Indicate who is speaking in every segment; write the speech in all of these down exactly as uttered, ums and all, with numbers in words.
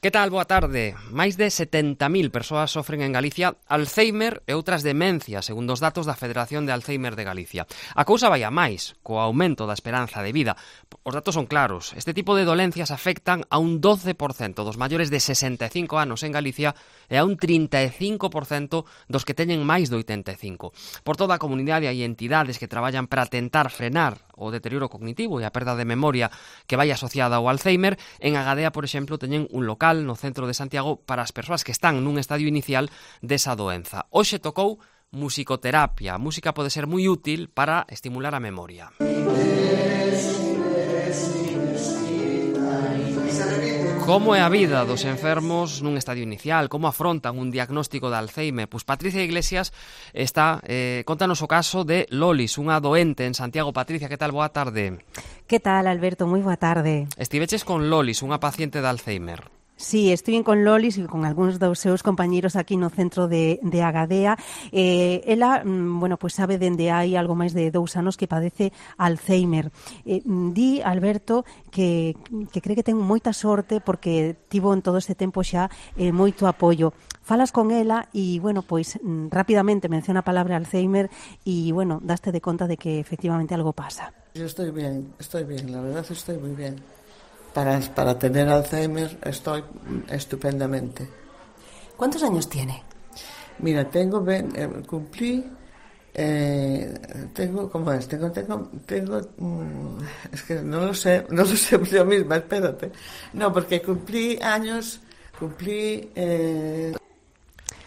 Speaker 1: Que tal? Boa tarde. Máis de setenta mil persoas sofren en Galicia Alzheimer e outras demencias, segundo os datos da Federación de Alzheimer de Galicia. A cousa vai a máis, co aumento da esperanza de vida. Os datos son claros. Este tipo de dolencias afectan a un doce por cento dos maiores de sesenta e cinco anos en Galicia e a un trinta e cinco por cento dos que teñen máis de oitenta e cinco. Por toda a comunidade hai entidades que traballan para tentar frenar o deterioro cognitivo e a perda de memoria que vai asociada ao Alzheimer. En Agadea, por exemplo, teñen un local no centro de Santiago para as persoas que están nun estadio inicial desa doenza. Hoxe tocou musicoterapia. A música pode ser moi útil para estimular a memoria. Como é a vida dos enfermos nun estadio inicial? Como afrontan un diagnóstico de Alzheimer? Pois Patricia Iglesias está, eh, contanos o caso de Lolis, unha doente en Santiago. Patricia, que tal? Boa tarde.
Speaker 2: Que tal, Alberto? Moi boa tarde.
Speaker 1: Estiveches con Lolis, unha paciente de Alzheimer.
Speaker 2: Sí, estuve con Lolis e con algúns dos seus compañeiros aquí no centro de, de Agadea. Eh, ela, bueno, pues sabe dende hai algo máis de dous anos que padece Alzheimer. Eh, di, Alberto, que, que cree que ten moita sorte porque tivo en todo este tempo xa eh, moito apoio. Falas con ela e, bueno, pois rapidamente menciona a palabra Alzheimer e, bueno, daste de conta de que efectivamente algo pasa.
Speaker 3: Yo estoy bien, estoy bien, la verdad estoy muy bien. Para, para tener Alzheimer estoy estupendamente.
Speaker 2: ¿Cuántos años tiene?
Speaker 3: Mira, tengo, eh, cumplí, eh, tengo, ¿cómo es? Tengo, tengo, tengo, mmm, es que no lo sé, no lo sé yo misma, espérate. No, porque cumplí años, cumplí... Eh...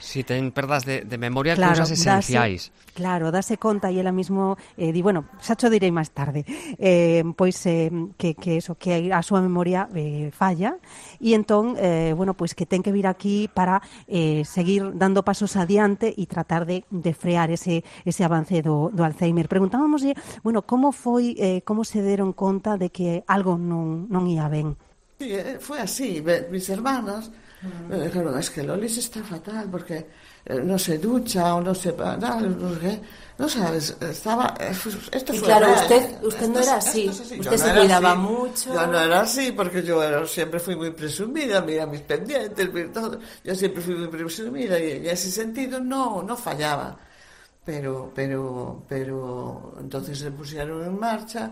Speaker 1: Si ten perdas de, de memoria,
Speaker 2: claro,
Speaker 1: cousas esenciais.
Speaker 2: Dase, claro, dase conta e ela mismo eh, di, bueno, xa cho direi máis tarde, eh, pois eh, que, que eso, que a súa memoria eh, falla e entón, eh, bueno, pois que ten que vir aquí para eh, seguir dando pasos adiante e tratar de, de frear ese, ese avance do, do Alzheimer. Preguntábamoslle, bueno, como foi, eh, como se deron conta de que algo non, non ia ben?
Speaker 3: Sí, foi así, mis hermanas me dijeron, es que Lolis está fatal porque eh, no se ducha o no se... No, no, no sabes, estaba... Esto
Speaker 4: y
Speaker 3: fue
Speaker 4: claro,
Speaker 3: real.
Speaker 4: usted, usted no era así,
Speaker 3: así.
Speaker 4: Usted
Speaker 3: Yo
Speaker 4: se
Speaker 3: no
Speaker 4: cuidaba
Speaker 3: así.
Speaker 4: mucho.
Speaker 3: Yo no era así porque yo era, siempre fui muy presumida, mira mis pendientes, mira todo. Yo siempre fui muy presumida y en ese sentido no, no fallaba. Pero, pero, pero entonces se pusieron en marcha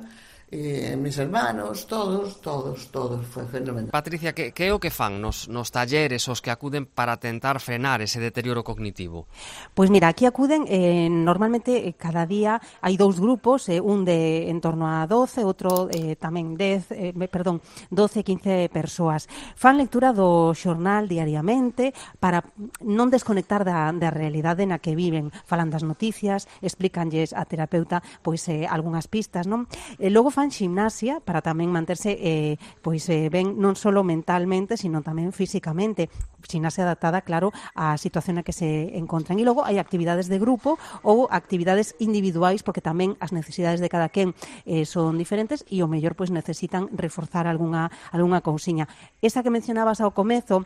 Speaker 3: e mis hermanos, todos, todos, todos, foi fenomenal.
Speaker 1: Patricia, que, que é o que fan nos, nos talleres os que acuden para tentar frenar ese deterioro cognitivo?
Speaker 2: Pois mira, aquí acuden, eh, normalmente eh, cada día hai dous grupos, eh, un de en torno a doce, outro eh, tamén dez, eh, perdón, doce, quince persoas. Fan lectura do xornal diariamente para non desconectar da, da realidade na que viven. Falan das noticias, explícanlles a terapeuta pois eh, algunhas pistas, non? E logo fan fan ximnasia para tamén manterse eh, pois eh, ben non só mentalmente, sino tamén físicamente. Ximnasia adaptada, claro, á situación na que se encontran. E logo hai actividades de grupo ou actividades individuais, porque tamén as necesidades de cada quen eh, son diferentes e o mellor pois necesitan reforzar algunha, algunha cousiña. Esa que mencionabas ao comezo,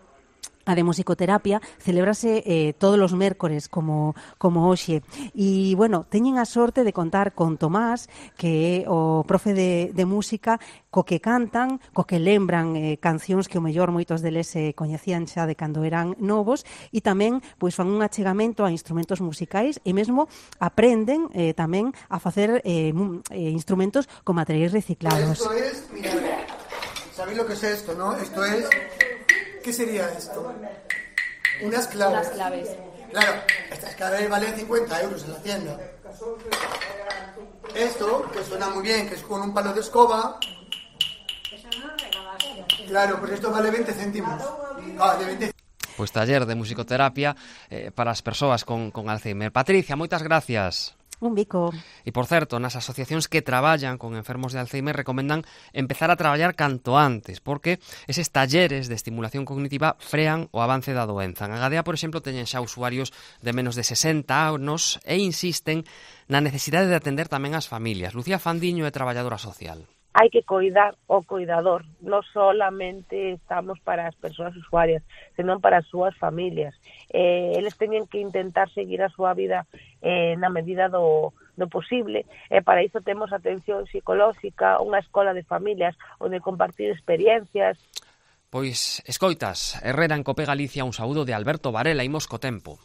Speaker 2: a de musicoterapia, celébrase eh, todos os mércores como, como hoxe. E, bueno, teñen a sorte de contar con Tomás, que é o profe de, de música, co que cantan, co que lembran eh, cancións que o mellor moitos deles se eh, coñecían xa de cando eran novos, e tamén pois fan un achegamento a instrumentos musicais e mesmo aprenden eh, tamén a facer eh, eh, instrumentos con materiais reciclados.
Speaker 5: Esto es, mira, ¿sabéis lo que es esto, no? Esto es... ¿Qué sería esto? Unas claves.
Speaker 4: Unas claves.
Speaker 5: Claro, estas claves valen cincuenta euros en la tienda. Esto, que suena muy bien, que es con un palo de escoba. Claro, pues esto vale veinte céntimos. Ah, de veinte.
Speaker 1: Pois taller de musicoterapia eh, para as persoas con, con Alzheimer. Patricia, moitas gracias.
Speaker 2: Un bico.
Speaker 1: E, por certo, nas asociacións que traballan con enfermos de Alzheimer recomendan empezar a traballar canto antes, porque eses talleres de estimulación cognitiva frean o avance da doenza. En Agadea, por exemplo, teñen xa usuarios de menos de sesenta anos e insisten na necesidade de atender tamén as familias. Lucía Fandiño é traballadora social.
Speaker 6: Hai que coidar o coidador, non solamente estamos para as persoas usuarias, senón para as súas familias. Eh, eles teñen que intentar seguir a súa vida eh, na medida do, do posible, e para iso temos atención psicolóxica, unha escola de familias onde compartir experiencias.
Speaker 1: Pois escoitas, Herrera en Cope Galicia, un saúdo de Alberto Varela, imos co tempo.